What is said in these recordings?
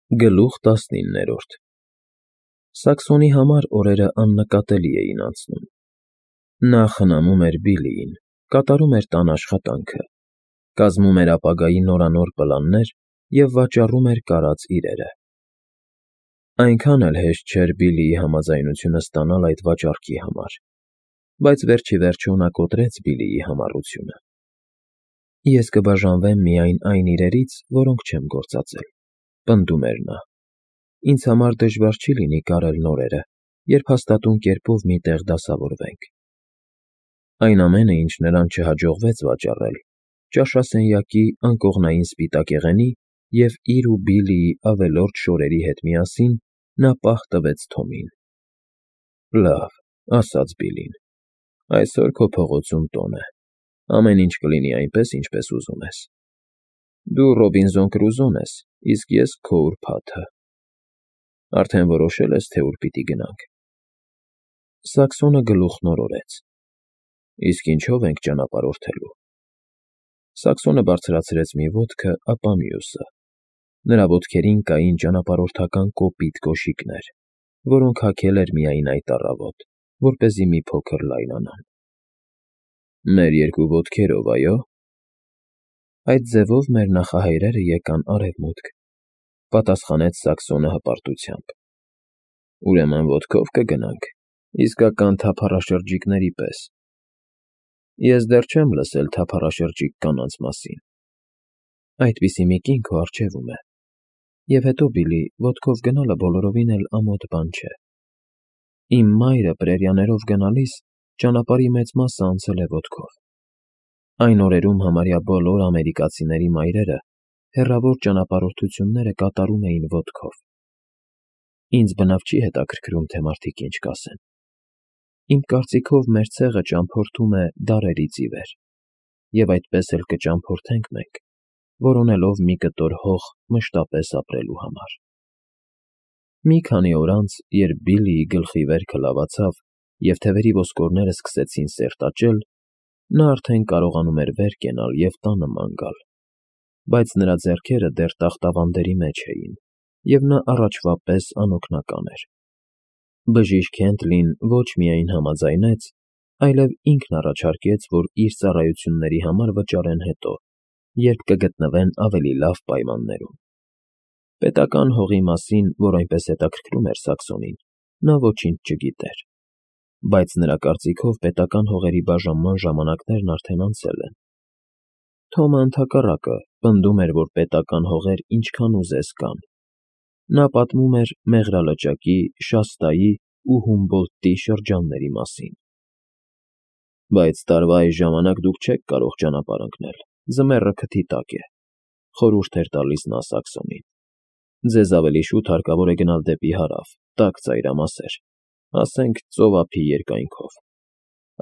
Գլուխ 19 Սաքսոնի համար օրերը աննկատելի էին անցնում. նա խնամում էր Բիլիին, կատարում էր տան աշխատանքը, կազմում էր ապագայի նորանոր պլաններ և վաճառում էր կարած իրերը։ Այնքան էլ հեշտ չէր Բիլիի համաձայնությունը ստանալ այդ վաճառքի համար, բայց վերջիվերջո նա կոտրեց Բիլիի համառությունը։ Ես կբաժանվեմ միայն այն իրերից, որոնք չեմ գործածել, պնդում էր նա։ Ինձ համար դժվար չի լինի կարել նորերը, երբ հաստատուն կերպով մի տեղ դասավորվենք։ Այն ամենը, ինչ նրան չհաջողվեց վաճառել, ճաշասենյակի անկողնային սպիտակեղենի և իր ու Բիլիի ավելորդ շորերի հետ միասին նա պահ տվեց Թոմին։ Լավ, ասաց Բիլին, այսօր քո փողոցում տոն է, ամեն ինչ կլինի այնպես, ինչպես ուզում ես։ Դու Ռոբինզոն Կրուզոն ես, իսկ ես քո ուրբաթը։ Արդեն որոշել ես, թե ուր պիտի գնանք։ Սաքսոնը գլուխն օրորեց։ Իսկ ինչով ենք ճանապարհորդելու։ Սաքսոնը բարձրացրեց մի ոտքը, ապա մյուսը։ Նրա ոտքերին կային ճանապարհորդական կոպիտ կոշիկներ, որոնք հագել էր միայն այդ առավոտ, որպեսզի մի փոքր լայնանան։ Մեր երկու ոտքերով, այո։ Այդ ձևով մեր նախահայրերը եկան Արևմուտք, պատասխանեց Սաքսոնը հպարտությամբ։ Ուրեմն ոտքով կգնանք, իսկական թափառաշրջիկների պես։ Ես դեռ չեմ լսել թափառաշրջիկ կանանց մասին։ Այդպիսի մի կին քո առջևում է։ Եվ հետո, Բիլի, ոտքով գնալը բոլորովին էլ ամոթ բան չէ։ Իմ մայրը պրերիաներով գնալիս ճանապարհի մեծ մասը անցել է ոտքով։ Այն օրերում համարյա բոլոր ամերիկացիների մայրերը հեռավոր ճանապարհորդությունները կատարում էին ոտքով։ Ինձ բնավ չի հետաքրքրում, թե մարդիկ ինչ կասեն։ Իմ կարծիքով մեր ցեղը ճամփորդում է դարերից ի վեր, և այդպես էլ կճամփորդենք մենք, որոնելով մի կտոր հող մշտապես ապրելու համար։ Մի քանի օր անց, երբ Բիլիի գլխի վերքը լավացավ և թևերի ոսկորները սկսեցին սերտաճել, նա արդեն կարողանում էր վեր կենալ և տանը ման գալ, բայց նրա ձեռքերը դեռ տախտավանդերի մեջ էին, և նա առաջվա պես անօգնական էր։ Բժիշկ Հենթլին ոչ միայն համաձայնեց, այլև ինքն առաջարկեց, որ իր ծառայությունների համար վճարեն հետո, երբ կգտնվեն ավելի լավ պայմաններում։ Պետական հողի մասին, որ այնպես հետաքրքրում էր Սաքսոնին, նա ոչինչ չգիտեր, բայց նրա կարծիքով պետական հողերի բաժանման ժամանակներն արդեն անցել են։ Թոմը ընդհակառակը պնդում էր, որ պետական հողեր ինչքան ուզես կան։ Նա պատմում էր Մեղրալճակի, Շաստայի ու Հումբոլդտի շրջանների մասին։ Բայց տարվա այս ժամանակ դուք չեք կարող ճանապարհ ընկնել, ձմեռը քթի տակ է, խորհուրդ էր տալիս նա Սաքսոնին։ Ձեզ ավելի շուտ հարկավոր է գնալ դեպի հարավ, տաք ծայրամասեր, ասենք ծովափի երկայնքով։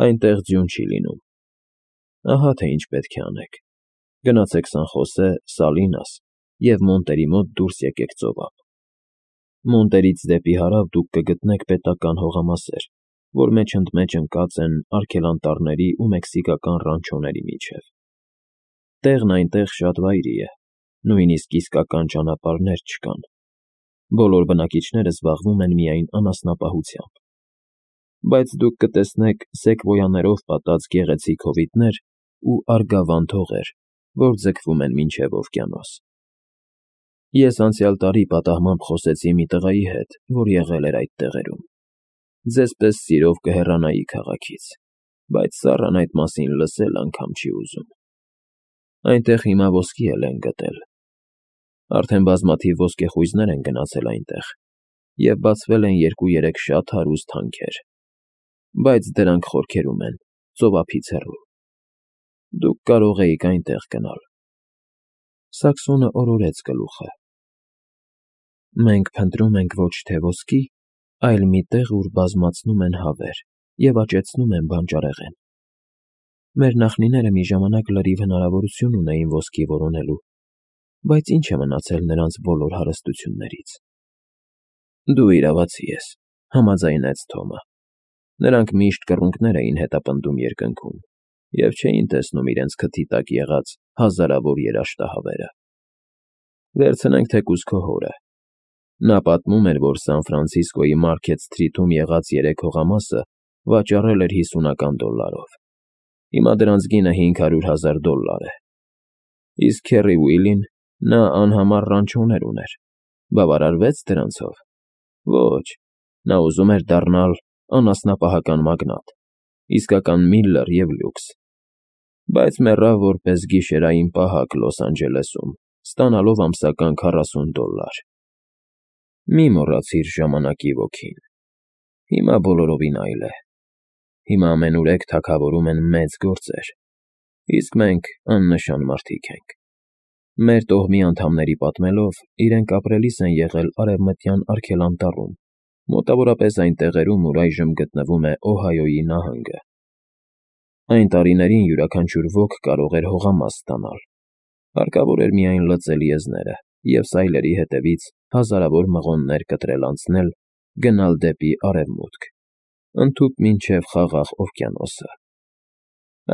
Այնտեղ ձյուն չի լինում։ Ահա թե ինչ պետք է անեք. գնացեք Սան Խոսե, Սալինաս և Մոնտերի մոտ դուրս եկեք ծովափ։ Մոնտերից դեպի հարավ դուք կգտնեք պետական հողամասեր, որ մեջ ընդ մեջ ընկած են արգելանտառների ու մեքսիկական ռանչոների միջև։ Տեղն այնտեղ շատ վայրի է, նույնիսկ իսկական ճանապարհներ չկան։ Բոլոր բնակիչները զբաղվում են միայն անասնապահությամբ։ Բայց դուք կտեսնեք սեկվոյաներով պատած գեղեցիկ հովիտներ ու արգավանդ հողեր, որ ձգվում են մինչև օվկիանոս։ Ես անցյալ տարի պատահմամբ խոսեցի մի տղայի հետ, որ եղել էր այդ տեղերում։ Ձեզ պես սիրով կհեռանայի քաղաքից, բայց սառն այդ մասին լսել անգամ չի ուզում։ Այնտեղ հիմա ոսկի էլ են գտել։ Արդեն բազմաթիվ ոսկեխույզներ են գնացել այնտեղ, և բացվել են 2-3 շատ հարուստ հանքեր, բայց դրանք խորքերում են, ծովափից հեռու։ Դուք կարող էիք այնտեղ գնալ։ Սաքսոնը օրորեց գլուխը։ Մենք փնտրում ենք ոչ թե ոսկի, այլ մի տեղ, ուր բազմացնում են հավեր և աճեցնում են բանջարեղեն։ Մեր նախնիները մի ժամանակ լրիվ հնարավորություն ունեին ոսկի որոնելու, բայց ինչ է մնացել նրանց բոլոր հարստություններից։ Դու իրավացի ես, համաձայնեց Թոմը։ Նրանք միշտ կռունկներ էին հետապնդում երկնքում և չէին տեսնում իրենց քթի տակ եղած հազարավոր երաշտահավերը։ Վերցնենք թեկուզ քո հորը։ Նա պատմում էր, որ Սան Ֆրանցիսկոյի Մարքեթ Սթրիթում եղած 3 հողամասը վաճառել էր $50. Հիմա դրանց գինը $500,000 է։ Իսկ Քեռի Ուիլին, նա անհամար ռանչոներ ուներ, բավարարվեց դրանցով։ Ոչ, նա ուզում էր դառնալ անասնապահական մագնատ, իսկական Միլլեր և լյուքս, բայց մեռավ որպես գիշերային պահակ Լոս Անջելեսում, ստանալով ամսական $40։ Մի մոռացիր ժամանակի ոգին։ Հիմա բոլորովին այլ է։ Հիմա ամենուրեք թագավորում են մեծ գործեր, իսկ մենք աննշան մարդիկ ենք։ Մեր տոհմի անդամների պատմելով, իրենք ապրելիս են եղել Արևմտյան Արգելանտառում, մոտավորապես այն տեղերում, ուր այժմ գտնվում է Օհայոյի նահանգը։ Այն տարիներին յուրաքանչյուր ոք կարող էր հողամաս ստանալ։ Հարկավոր էր միայն լծել եզները և սայլերի հետևից հազարավոր մղոններ կտրել անցնել, գնալ դեպի արևմուտք, ընդհուպ մինչև Խաղաղ օվկիանոսը։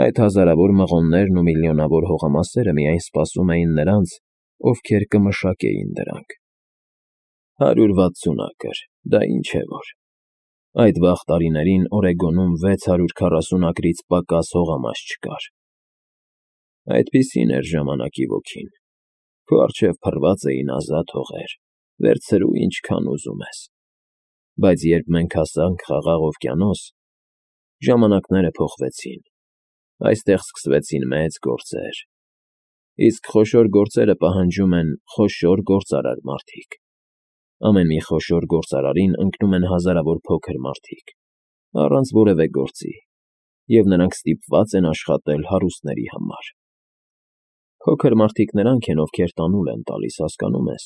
Այդ հազարավոր մղոններն ու միլիոնավոր հողամասերը միայն սպասում էին նրանց, ովքեր կմշակեին դրանք։ 160 ակր, դա ինչ է որ։ Այդ վաղ տարիներին Օրեգոնում 640 ակրից պակաս հողամաս չկար։ Այդպիսին էր ժամանակի ոգին։ Քո առջև փռված էին ազատ հողեր, վերցրու ինչքան ուզում ես։ Բայց երբ մենք հասանք Խաղաղ օվկիանոս, ժամանակները փոխվեցին։ Այստեղ սկսվեցին մեծ գործեր։ Իսկ խոշոր գործերը պահանջում են խոշոր գործարար մարդիկ։ Ամեն մի խոշոր գործարարին ընկնում են հազարավոր փոքր մարդիկ, առանց որևէ գործի, և նրանք ստիպված են աշխատել հարուստների համար։ Փոքր մարդիկ նրանք են, ովքեր տանուլ են տալիս, հասկանո՞ւմ ես։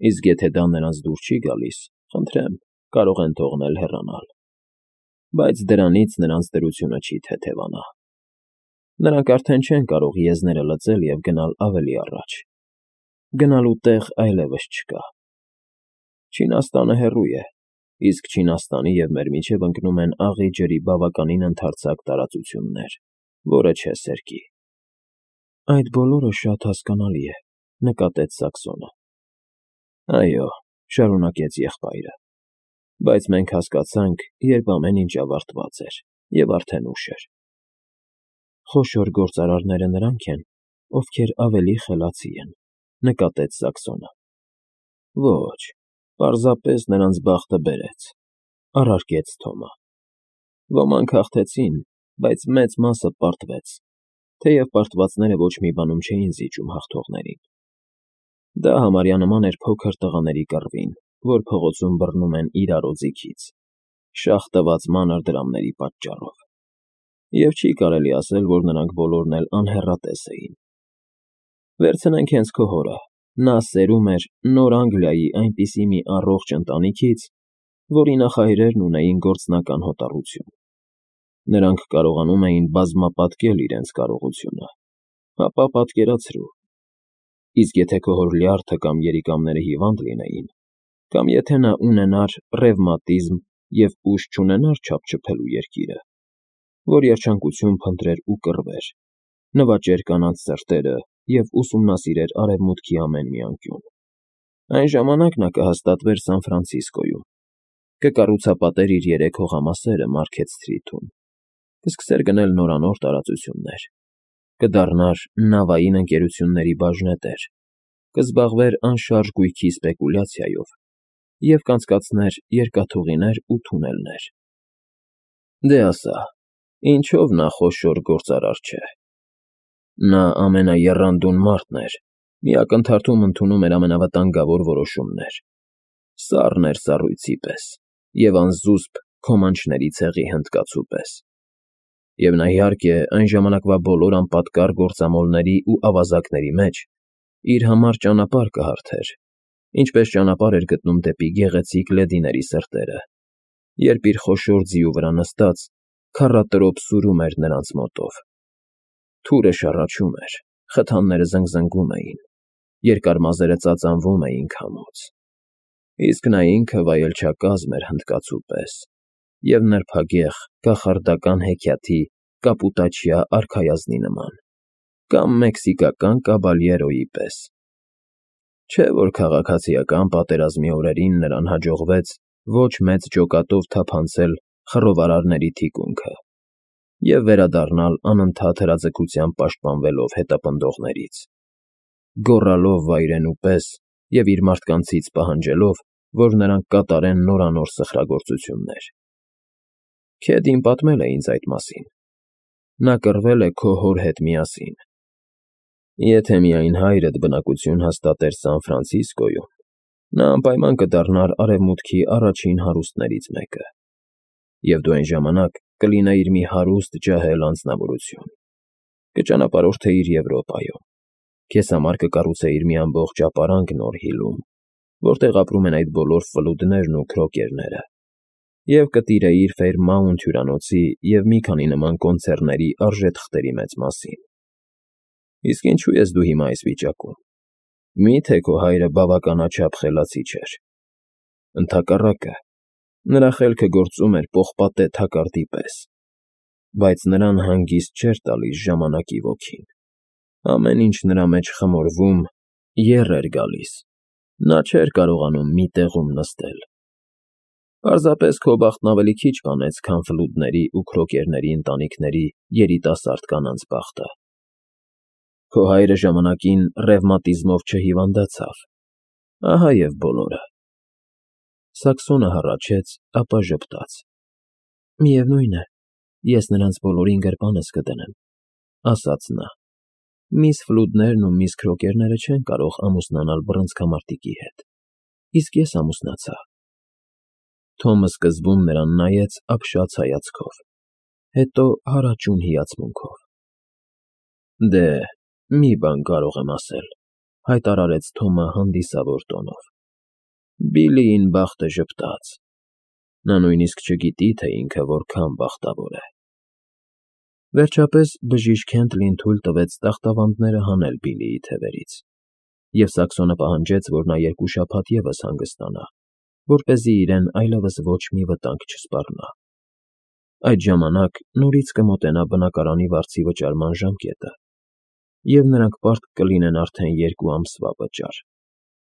Իսկ եթե դա նրանց դուր չի գալիս, խնդրեմ, կարող են թողնել հեռանալ։ Բայց դրանից նրանց դրությունը չի թեթևանա։ Նրանք արդեն չեն կարող եզները լծել և գնալ ավելի առաջ։ Գնալու տեղ այլևս չկա։ Չինաստանը հեռու է, իսկ Չինաստանի և մեր միջև ընկնում են աղի ջրի բավականին ընդարձակ տարածություններ, որը չէ սերկի։ Այդ բոլորը շատ հասկանալի է, նկատեց Սաքսոնը։ Այո, շարունակեց եղբայրը, բայց մենք հասկացանք, երբ ամեն ինչ ավարտված էր և արդեն ուշ էր։ Խոշոր գործարարները նրանք են, ովքեր ավելի խելացի են, նկատեց Սաքսոնը։ Ոչ, պարզապես նրանց բախտը բերեց, առարկեց Թոմը։ Ոմանք հաղթեցին, բայց մեծ մասը պարտվեց, թեև պարտվածները ոչ մի բանում չէին զիջում հաղթողներին։ Դա համարյա նման էր փոքր տղաների կռվին, որ փողոցում բռնում են իրար օձիքից, շաղ տված մանր դրամների պատճառով։ Եվ չի կարելի ասել, որ նրանք բոլորն էլ անհեռատես էին։ Վերցնենք հենց քո հորը, նա սերում էր Նոր Անգլիայի այնպիսի մի առողջ ընտանիքից, որի նախահայրերն ունեին գործնական հոտառություն։ Նրանք կարողանում էին բազմապատկել իրենց կարողությունը, ապա պատկերացրու։ Իսկ եթե քո հոր լյարդը կամ երիկամները հիվանդ լինեին, կամ եթե նա ունենար ռևմատիզմ և ուժ չունենար չափչփելու երկիրը, որ երջանկություն փնտրեր ու կռվեր, նվաճեր կանանց սրտերը և ուսումնասիրեր արևմուտքի ամեն մի անկյուն, այն ժամանակ նա կհաստատվեր Սան Ֆրանցիսկոյում, կկառուցապատեր իր 3 հողամասերը Մարքեթ Սթրիթում, կսկսեր գնել նորանոր տարածություններ, կդառնար նավային ընկերությունների բաժնետեր, կզբաղվեր անշարժ գույքի սպեկուլյացիայով և կանցկացներ երկաթուղիներ ու թունելներ։ Դե ասա, ինչով նա խոշոր գործարար չէ։ Նա ամենաեռանդուն մարդն էր, մի ակնթարթում ընդունում էր ամենավտանգավոր որոշումներ, սառն էր սառույցի պես և անզուսպ քոմանչների ցեղի հնդկացու պես։ Եվ նա, իհարկե, այն ժամանակվա բոլոր անպատկառ գործամոլների ու ավազակների մեջ իր համար ճանապարհ կհարթեր, ինչպես ճանապարհ էր գտնում դեպի գեղեցիկ լեդիների սրտերը, երբ իր խոշոր ձիու վրա նստած քառատրոփ սուրում էր նրանց մոտով։ Թուրը շառաչում էր, խթանները զնգզնգում էին, երկար մազերը ծածանվում էին քամուց։ Իսկ նա ինքը վայելչակազմ էր հնդկացու պես և նրբագեղ կախարդական հեքիաթի կապուտաչյա արքայազնի նման, կամ մեքսիկական կաբալյերոյի պես։ Չէ՞ որ քաղաքացիական պատերազմի օրերին նրան հաջողվեց ոչ մեծ ջոկատով թափանցել խռովարարների թիկունքը և վերադառնալ անընդհատ հրաձգությամբ պաշտպանվելով հետապնդողներից, գոռալով վայրենու պես և իր մարդկանցից պահանջելով, որ նրանք կատարեն նորանոր սխրագործություններ։ Քեդին պատմել է ինձ այդ մասին. նա կռվել է քո հոր հետ միասին։ Եթե միայն հայրդ բնակություն հաստատեր Սան Ֆրանցիսկոյում, նա անպայման կդառնար Արևմուտքի առաջին հարուստներից մեկը, և դու այն ժամանակ կլինեիր մի հարուստ ջահել անձնավորություն, կճանապարհորդեիր Եվրոպայում, քեզ համար կկառուցեիր մի ամբողջ ապարանք Նոր Հիլում, որտեղ ապրում են այդ բոլոր ֆլուդներն ու քրոկերները, և կտիրեիր Ֆեյրմաունթ հյուրանոցի և մի քանի նման կոնցեռների արժեթղթերի մեծ մասին։ Իսկ ինչու ես դու հիմա այս վիճակում։ Մի՞թե քո հայրը բավականաչափ խելացի չէր։ Ընդհակառակը, նրա խելքը գործում էր պողպատե թակարդի պես, բայց նրան հանգիստ չէր տալիս ժամանակի ոգին։ Ամեն ինչ նրա մեջ խմորվում, եռ էր գալիս, նա չէր կարողանում մի տեղում նստել։ Պարզապես քո բախտն ավելի քիչ կանեց, քան ֆլուդների ու քրոկերների ընտանիքների երիտասարդ կանանց բախտը։ Քո հայրը ժամանակին ռևմատիզմով չհիվանդացավ, ահա և բոլորը։ Սաքսոնը հառաչեց, ապա ժպտաց. Միևնույն է, ես նրանց բոլորին գրպանս կդնեմ, ասաց նա։ Միս Ֆլուդներն ու միս Քրոկերները չեն կարող ամուսնանալ բռնցքամարտիկի հետ, իսկ ես ամուսնացա։ Թոմը սկզբում նրան նայեց ապշած հայացքով, հետո հարաճուն հիացմունքով։ Դե, մի բան կարող եմ ասել, հայտարարեց Թոմը հանդիսավոր տոնով. Բիլլիին բախտը ժպտաց։ Նա նույնիսկ չգիտի, թե ինքը որքան բախտավոր է։ Վերջապես բժիշկ Քենթլին թույլ տվեց տախտավանդները հանել Բիլլիի թևերից, և Սաքսոնը պահանջեց, որ նա 2 շաբաթ ևս հանգստանա, որպեսզի իրեն այլևս ոչ մի վտանգ չսպառնա։ Այդ ժամանակ նորից կմոտենա բնակարանի վարձի վճարման ժամկետը, և նրանք պարտք կլինեն արդեն 2 ամսվա վճար,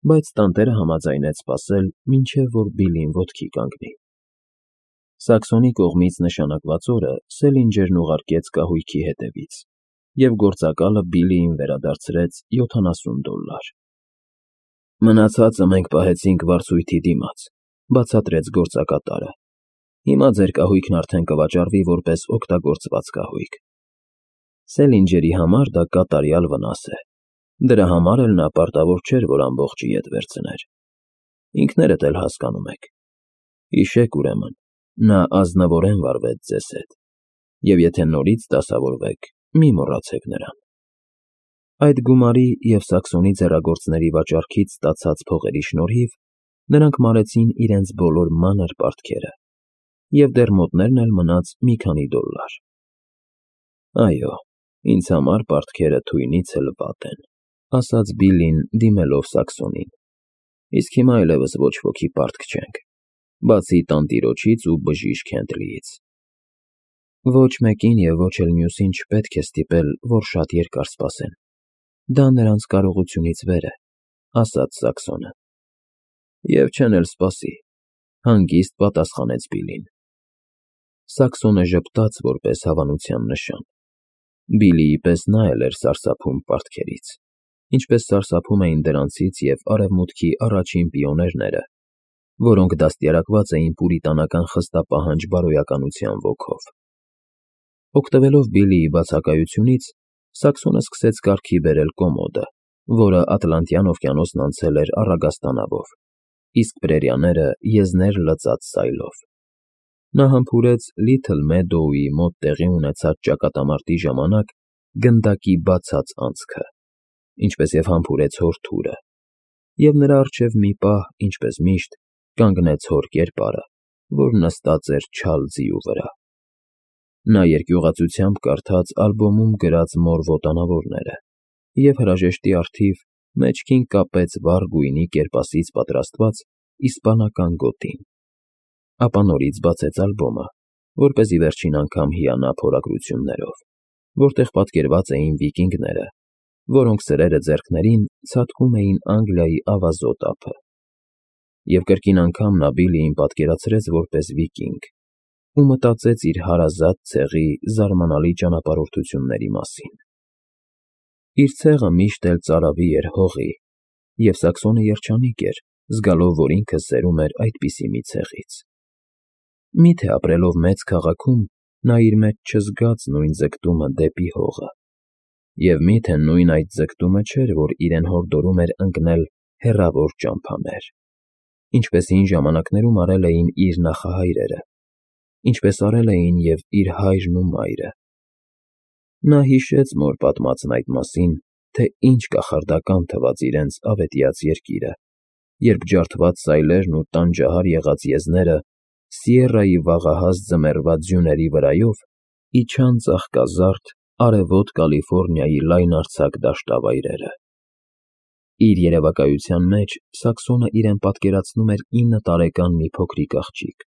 բայց տանտերը համաձայնեց սպասել, մինչև որ Բիլլին ոտքի կանգնի։ Սաքսոնի կողմից նշանակված օրը Սելինջերն ուղարկեց կահույքի հետևից, և գործակալը Բիլլիին վերադարձրեց $70։ Մնացածը մենք պահեցինք վարձույթի դիմաց, բացատրեց գործակատարը։ Հիմա ձեր կահույքն արդեն կվաճառվի որպես օգտագործված կահույք։ Սելինջերի համար դա կատարյալ վնաս է։ Դրա համար էլ նա պարտավոր չէր, որ ամբողջը ետ վերցներ։ Ինքներդ էլ հասկանում եք։ Հիշեք, ուրեմն, նա ազնվորեն վարվեց ձեզ հետ, և եթե նորից դասավորվեք, մի մոռացեք նրան։ Այդ գումարի և Սաքսոնի ձեռագործների վաճառքից ստացած փողերի շնորհիվ նրանք մարեցին իրենց բոլոր մանր պարտքերը, և դեռ մոտներն էլ մնաց մի քանի $։ Այո, ինձ համար պարտքերը թույնից էլ վատ են, ասաց Բիլլին, դիմելով Սաքսոնին։ Իսկ հիմա այլևս ոչ ոքի պարտք չենք, բացի տանտիրոջից ու բժիշկ Քենթլիից։ Ոչ մեկին և ոչ էլ մյուսին չպետք է ստիպել, որ շատ երկար սպասեն։ Դա նրանց կարողությունից վեր է, ասաց Սաքսոնը։ Եվ չեն էլ սպասի, հանգիստ պատասխանեց Բիլլին։ Սաքսոնը ժպտաց որպես հավանության նշան։ Բիլլիի պես նա էլ էր սարսափում պարտքերից, ինչպես սարսափում էին դրանցից և Արևմուտքի առաջին պիոներները, որոնք դաստիարակված էին պուրիտանական խստապահանջ բարոյականության ոգով։ Օգտվելով Բիլլիի բացակայությունից, Սաքսոնը սկսեց կարգի բերել կոմոդը, որը Ատլանտյան օվկիանոսն անցել էր առագաստանավով, իսկ Պրերիաները եզներ լծած սայլով։ Նա համբուրեց Լիթլ Մեդոուի մոտ տեղի ունեցած ճակատամարտի ժամանակ գնդակի բացած անցքը, ինչպես և համբուրեց հոր թուրը, և նրա առջև մի պահ, ինչպես միշտ, կանգնեց հոր կերպարը, որ նստած էր չալ ձիու վրա։ Նա երկյուղածությամբ կարդաց ալբոմում գրած մոր ոտանավորները և հրաժեշտի առթիվ մեջքին կապեց վառ գույնի կերպասից պատրաստված իսպանական գոտին, ապա նորից բացեց ալբոմը, որպեսզի վերջին անգամ հիանա փորագրություններով, որտեղ պատկերված էին վիկինգները, որոնք սրերը ձեռքներին ցատկում էին Անգլիայի ավազոտ ափը։ Եվ կրկին անգամ նա Բիլիին պատկերացրեց որպես վիկինգ ու մտածեց իր հարազատ ցեղի զարմանալի ճանապարհորդությունների մասին։ Իր ցեղը միշտ էլ ծարավի էր հողի, և Սաքսոնը երջանիկ էր, զգալով, որ ինքը սերում էր այդպիսի մի ցեղից։ Միթե ապրելով մեծ քաղաքում, նա իր մեջ չզգաց նույն ձգտումը դեպի հողը։ Եվ միթե նույն այդ ձգտումը չէր, որ իրեն հորդորում էր ընկնել հեռավոր ճամփաներ, ինչպես հին ժամանակներում արել էին իր նախահայրերը, ինչպես արել էին և իր հայրն ու մայրը։ Նա հիշեց մոր պատմածն այդ մասին, թե ինչ կախարդական թվաց իրենց ավետյաց երկիրը, երբ ջարդված սայլերն ու տանջահար եղած եզները Սիերրայի վաղահաս ձմեռվա ձյուների վրայով իջան ծաղկազարդ արևոտ Կալիֆոռնիայի լայնարձակ դաշտավայրերը։ Իր երևակայության մեջ Սաքսոնը իրեն պատկերացնում էր 9 տարեկան մի փոքրիկ աղջիկ,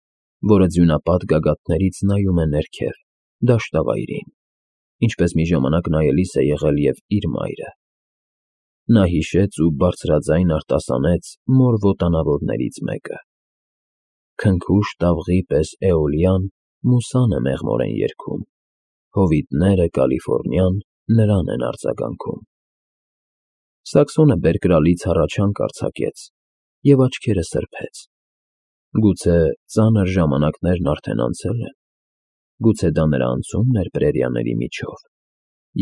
որը ձյունապատ գագաթներից նայում է ներքև, դաշտավայրին, ինչպես մի ժամանակ նայելիս է եղել և իր մայրը։ Նա հիշեց ու բարձրաձայն արտասանեց մոր ոտանավորներից մեկը. «Քնքուշ տավղի պես Էոլիան մուսան է մեղմորեն երգում, հովիտները Կալիֆոռնիան նրան են արձագանքում»։ Սաքսոնը բերկրալից հառաչանք արձակեց և աչքերը սրբեց։ Գուցե ծանր ժամանակներն արդեն անցել են, գուցե դա նրա անցումն էր պրերիաների միջով,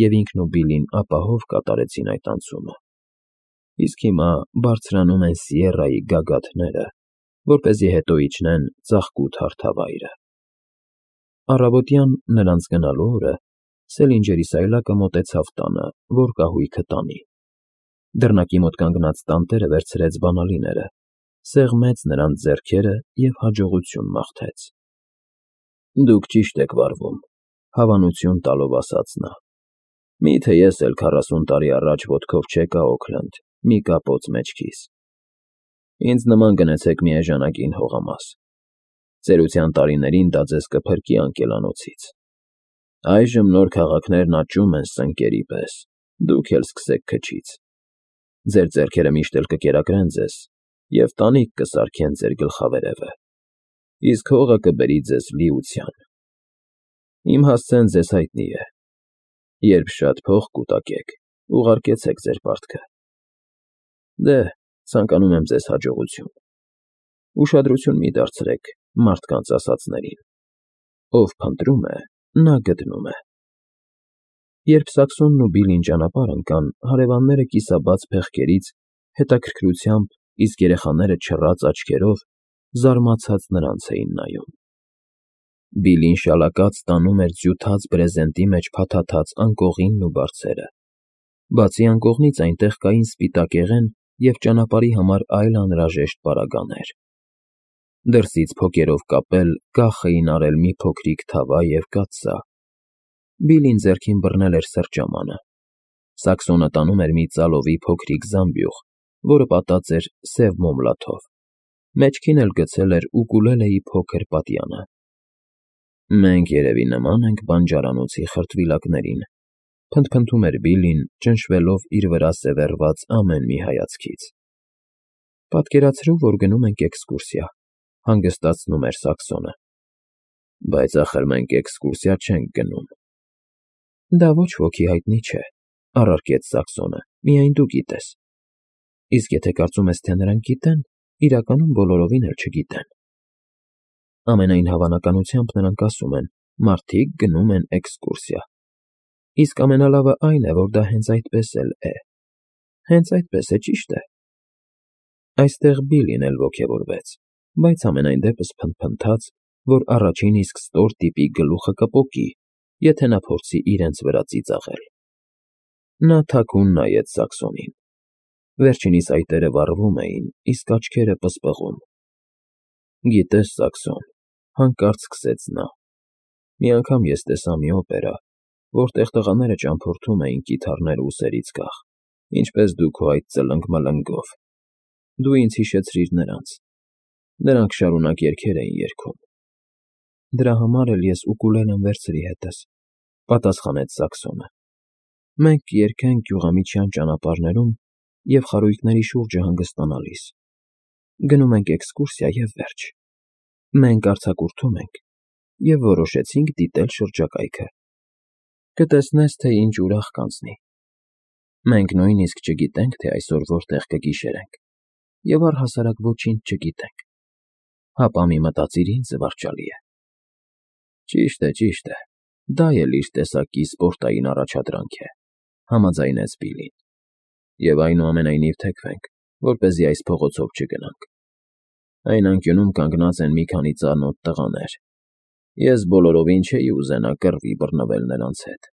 և ինքն ու Բիլին ապահով կատարեցին այդ անցումը, իսկ հիմա բարձրանում են Սիերրայի գագաթները, որպեսզի հետո իջնեն ծաղկութ հարթավայրը։ Առավոտյան, նրանց գնալու օրը, Սելինջերի սայլակը մոտեցավ տանը, որ կահույքը տանի։ Դռնակի մոտ կանգնած տանտերը վերցրեց բանալիները, սեղմեց նրանց ձեռքերը և հաջողություն մաղթեց։ «Դուք ճիշտ եք վարվում», հավանություն տալով ասաց նա։ «Միթե ես էլ 40 տարի առաջ ոտքով չեկա Օքլենդ, մի կապոց մեջքիս։ Ինձ նման գնեցեք մի էժանագին հողամաս։ Ծերության տարիներին դա ձեզ կփրկի անկելանոցից։ Այժմ նոր քաղաքներն աճում են սնկերի պես, դուք էլ սկսեք քչից։ Ձեր ձեռքերը միշտ էլ կկերակրեն ձեզ և տանիք կսարքեն ձեր գլխավերևը, իսկ հողը կբերի ձեզ լիության։ Իմ հասցեն ձեզ հայտնի է. երբ շատ փող կուտակեք, ուղարկեցեք ձեր պարտքը։ Դե, ցանկանում եմ ձեզ հաջողություն։ Ուշադրություն մի դարձրեք մարդկանց ասածներին. ով փնտրում է, նա գտնում է»։ Երբ Սաքսոնն ու Բիլին ճանապարհ ընկան, հարևանները կիսաբաց փեղկերից հետաքրքրությամբ, իսկ երեխաները չռած աչքերով զարմացած նրանց էին նայում։ Բիլին շալակած տանում էր ձյութած բրեզենտի մեջ փաթաթած անկողինն ու բարձերը։ Բացի անկողնից այնտեղ կային սպիտակեղեն և ճանապարհի համար այլ անհրաժեշտ պարագաներ։ Դրսից փոկերով կապել, կախ էին արել մի փոքրիկ թավա և կաթսա։ Բիլին ձեռքին բռնել էր սրճամանը։ Սաքսոնը տանում էր մի ծալովի փոքրիկ զամբյուղ, որը պատած էր սև մոմլաթով, մեջքին էլ գցել էր ուկուլելեի փոքր պատյանը։ «Մենք երևի նման ենք բանջարանոցի խրտվիլակներին», փնթփնթում էր Բիլին, ճնշվելով իր վրա սևեռված ամեն մի հայացքից։ «Պատկերացրու, որ գնում ենք էքսկուրսիա», հանգստացնում էր Սաքսոնը։ «Բայց ախր մենք էքսկուրսիա չենք գնում»։ «Դա ոչ ոքի հայտնի չէ», առարկեց Սաքսոնը, «միայն դու գիտես։ Իսկ եթե կարծում ես, թե նրանք գիտեն, իրականում բոլորովին էլ չգիտեն։ Ամենայն հավանականությամբ նրանք ասում են. մարդիկ գնում են էքսկուրսիա։ Իսկ ամենալավը այն է, որ դա հենց այդպես էլ է։ Հենց այդպես է, ճիշտ է»։ Այստեղ Բիլին էլ ոգևորվեց, բայց համենայն դեպս փնթփնթաց, որ առաջին իսկ ստոր տիպի գլուխը կպոկի, եթե նա փորձի իրենց վրա ծիծաղել։ Նա թաքուն նայեց Սաքսոնին։ Վերջինիս այտերը վառվում էին, իսկ աչքերը պսպղում։ «Գիտես, Սաքսոն,» հանկարծ սկսեց նա, «մի անգամ ես տեսա մի օպերա, որտեղ տղաները ճամփորդում էին կիթառները ուսերից կախ, ինչպես դու քո այդ ծլնգ֊մլնգով։ Դու ինձ հիշեցրիր նրանց։ Նրանք շարունակ երգեր էին երգում»։ «Դրա համար էլ ես ուկուլելեն վերցրի հետս», պատասխանեց Սաքսոնը։ Մենք երգենք գյուղամիջյան ճանապարհներում և խարույկների շուրջը հանգստանալիս, գնում ենք էքսկուրսիա և վերջ։ Մենք արձակուրդում ենք և որոշեցինք դիտել շրջակայքը։ Կտեսնես, թե ինչ ուրախ կանցնի։ Մենք նույնիսկ չգիտենք, թե այսօր որտեղ կգիշերենք, և առհասարակ ոչինչ չգիտենք, հապա մի մտածիր ինչ զվարճալի է։ Ճիշտ է, դա էլ իր տեսակի սպորտային առաջադրանք է, համաձայնեց Բիլլին, և այնուամենայնիվ թեքվենք, որպեսզի այս փողոցով չգնանք։ Այն անկյունում կանգնած են մի քանի ծանոթ տղաներ, ես բոլորովին չէի ուզենա կռվի բռնվել նրանց հետ։